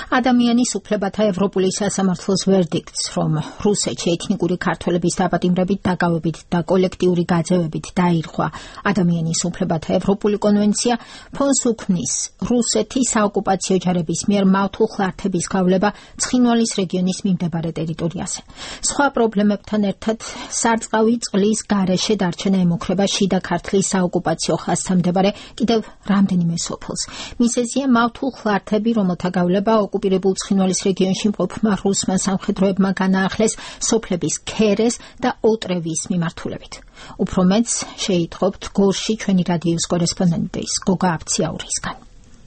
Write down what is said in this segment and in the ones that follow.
ადამიანის უფლებათა ევროპული სასამართლოს ვერდიქტს, რომ რუსეთში ეთნიკური ქართველების დაპატიმრებით, დაკავებით და კოლექტიური გაძევებით დაირღვა ადამიანის უფლებათა ევროპული კონვენცია, ფონს უქმნის რუსეთის საოკუპაციო ჯარების მიერ მავთულხლართების გავლება ცხინვალის რეგიონის მიმდებარე ტერიტორიაზე. სხვა პრობლემებთან ერთად სარწყავი წყლის გარეშე დარჩენა ემუქრება შიდა ქართლის საოკუპაციო ხაზთან მდებარე კიდევ რამდენიმე სოფელს. მიზეზია მავთულხლართები, რომელთა გავლება ოკუპირებულ ცხინვალის რეგიონში მყოფმა რუსმა სამხედროებმა განაახლეს სოფლების ქერეს და ოტრევის მიმართულებით. უფრო მეც შეიტყობთ გორში ჩვენი რადიოს კორესპონდენტის გოგა აბციაურისგან.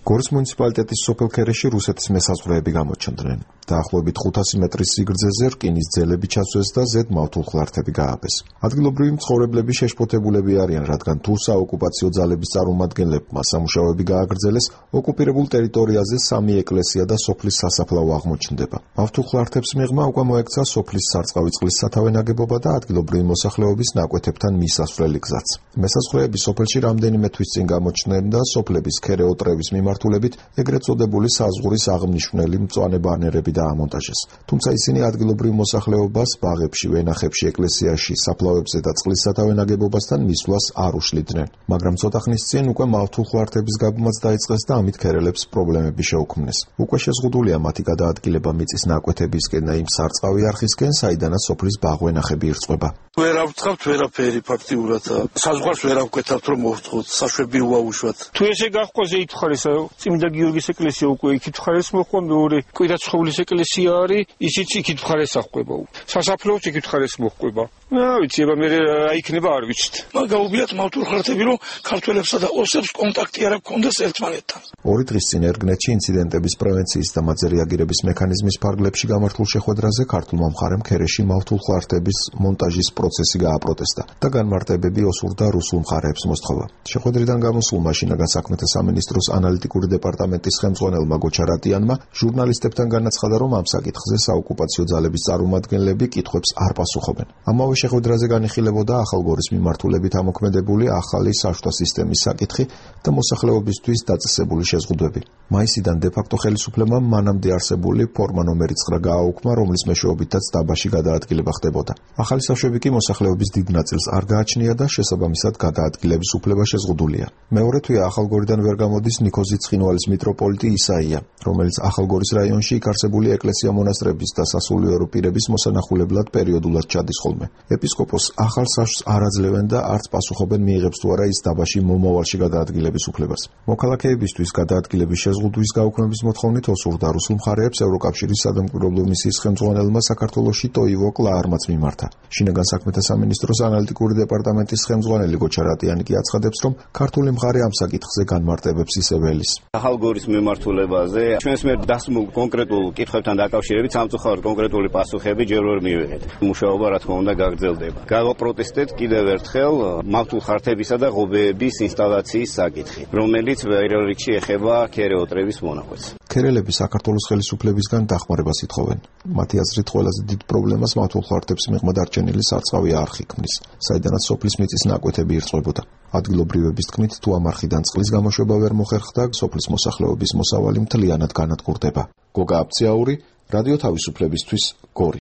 გორის მუნიციპალიტეტის სოფელ ქერეში რუსეთის მესაზღვრეები გამოჩნდნენ. დაახლოებით 500 მეტრის სიგრძეზე რკინის ძელები ჩასვეს და ზედ მავთულხლართები გააგეს. ადგილობრივი მცხოვრებლები შეშფოთებულები არიან, რადგან თუ საოკუპაციო ძალების წარმომადგენლებმა სამუშაოები გააგრძელეს, ოკუპირებულ ტერიტორიაზე 3 ეკლესია და სოფლის სასაფლაო აღმოჩნდება. მავთულხლართებს მიღმა უკვე მოექცა სოფლის სარწყავი წყლის სათავე ნაგებობა და ადგილობრივი მოსახლეობის ნაკვეთებთან მისასვლელი გზაც. მესაზღვრეები სოფელში რამდენიმე თვის წინ გამოჩნდნენ და სოფლების ქერე ოტრევის მიმართულებით ეგრეთ წოდებული საზღურის აღმნიშვნელი მწვანე ბანერები დაამონტაჟეს. თუმცა ისინი ადგილობრივ მოსახლეობას ბაღებში, ვენახებში, ეკლესიაში, საფლავებზე და წყლის სათავე ნაგებობასთან მისვლას არ უშლიდნენ. მაგრამ ცოტა ხნის წინ უკვე მავთულხლართების გაბმაც დაიწყეს და ამით ქერელებს პრობლემები შეუქმნეს. უკვე შეზღუდულია მათი გადაადგილება მიწის ნაკვეთებისკენ და იმ სარწყავი არხისკენ, საიდანაც სოფლის ბაღ-ვენახები ირწყვება. ვერ ავწყავთ ვერაფერი ფაქტიურად. საზღვარს ვერ ავკვეთავთ რომ მოვწყოთ, საშვები უაუშვათ. თუ ესე გაჰყვაზე ითხოვეს წმინდა გიორგის ეკლესია უკვე იქით მხარეს მოხდა, მეორე კვირაცხოვლის ეკლესია არის, ისიც იქით მხარეს აღყვება. სასაფლაოც იქით მხარეს მოხდება. ვიცი, აბა მე რა იქნება არ ვიცით. გაუგლიათ მავთულხლართები, რომ ქართველებსა და ოსებს კონტაქტი არ აქვს ერთმანეთთან. 2 დღის წინ ერგნეთში ინციდენტების პრევენციის და მათზე რეაგირების მექანიზმის ფარგლებში გამართულ შეხვედრაზე ქართულმა მხარემ ქერეში მავთულხლართების მონტაჟის პროცესი გააპროტესტა და განმარტებები ოსურდა რუსულ მხარეებს მოსთხოვა. შეხვედრიდან გამოსულმა შინაგან საქმეთა სამინისტროს ანალიტიკური დეპარტამენტის ხელმძღვანელმა გოჩა რატიანმა ჟურნალისტებთან განაცხადა, რომ ამ საკითხზე საოკუპაციო ძალების წარმომადგენლები კითხვებს არ პასუხობენ. ამავე შეხვედრაზე განიხილებოდა ახალგორის მიმართულებით ამოქმედებული ახალი საშუალო სისტემის საკითხი და მოსახლეობისთვის დაწესებული შეზღუდვები. მაისიდან დე-ფაქტო ხელისუფლებამ მანამდე არსებული ფორმა ნომერი 9 გააუქმა, რომლის მეშვეობითაც დაბაში გადაადგილება ხდებოდა. ახალი საშუალები კი მოსახლეობის დიდ ნაწილს არ გააჩნია და შესაბამისად გადაადგილების უფლება შეზღუდულია. მეორე თვეა ახალგორიდან ვერ გამოდის ნიკოზი ცხინვალის მიტროპოლიტი ისაია, რომელიც ახალგორის რაიონში იქ არსებული ეკლესია-მონასტრების და სასულიერო პირების მოსანახულებლად პერიოდულად ჩადის ხოლმე. ეპისკოპოსს ახალ საშუალს არ აძლევენ და არც პასუხობენ მიიღებს თუ არა ის დაბაში მომავალში გადაადგილების უფლებას. მოქალაქეებისთვის გადაადგილების შეზღუდვის გაუქმების მოთხოვნით ოსურდა რუსულ მხარეებს ევროკავშირის სადამკვირვებლო მისიის ხელმძღვანელმა საქართველოში ტოივო კლაარმაც მიმართა. შინაგან საქმეთა სამინისტროს ანალიტიკური დეპარტამენტის ხელმძღვანელი გოჩა რატიანი კი აცხადებს, რომ ქართული მხარე ამ საკითხზე განმარტებებს ისევ ელის. ახალგორის მიმართულებაზე ჩვენს მიერ დასმულ კონკრეტულ კითხვებთან დაკავშირებით სამწუხაროდ კონკრეტული პასუხები ჯერ ვერ მივიღეთ. მუშაობა რა თქმა უნდა გაგრძელდება. გავაპროტესტეთ კიდევ ერთხელ მავთულხლართებისა და ღობეების ინსტალაციის საკითხი, რომელიც პირველ რიგში ეხება ქერე-ოტრევის მონაკვეთს. ქერელები საქართველოს ხელისუფლებისგან დახმარებას ითხოვენ. მათი აზრით ყველაზე დიდ პრობლემას მავთულხლართებს მიღმა დარჩენილი სარწყავი არხი ქმნის, საიდანაც სოფლის მიწის ნაკვეთები ირწყვებოდა. ადგილობრივების თქმით, თუ ამ არხიდან წყლის გამოშვება ვერ მოხერხდა, სოფლის მოსახლეობის მოსავალი მთლიანად განადგურდება. გოგა აბციაური, რადიო თავისუფლებისთვის, გორი.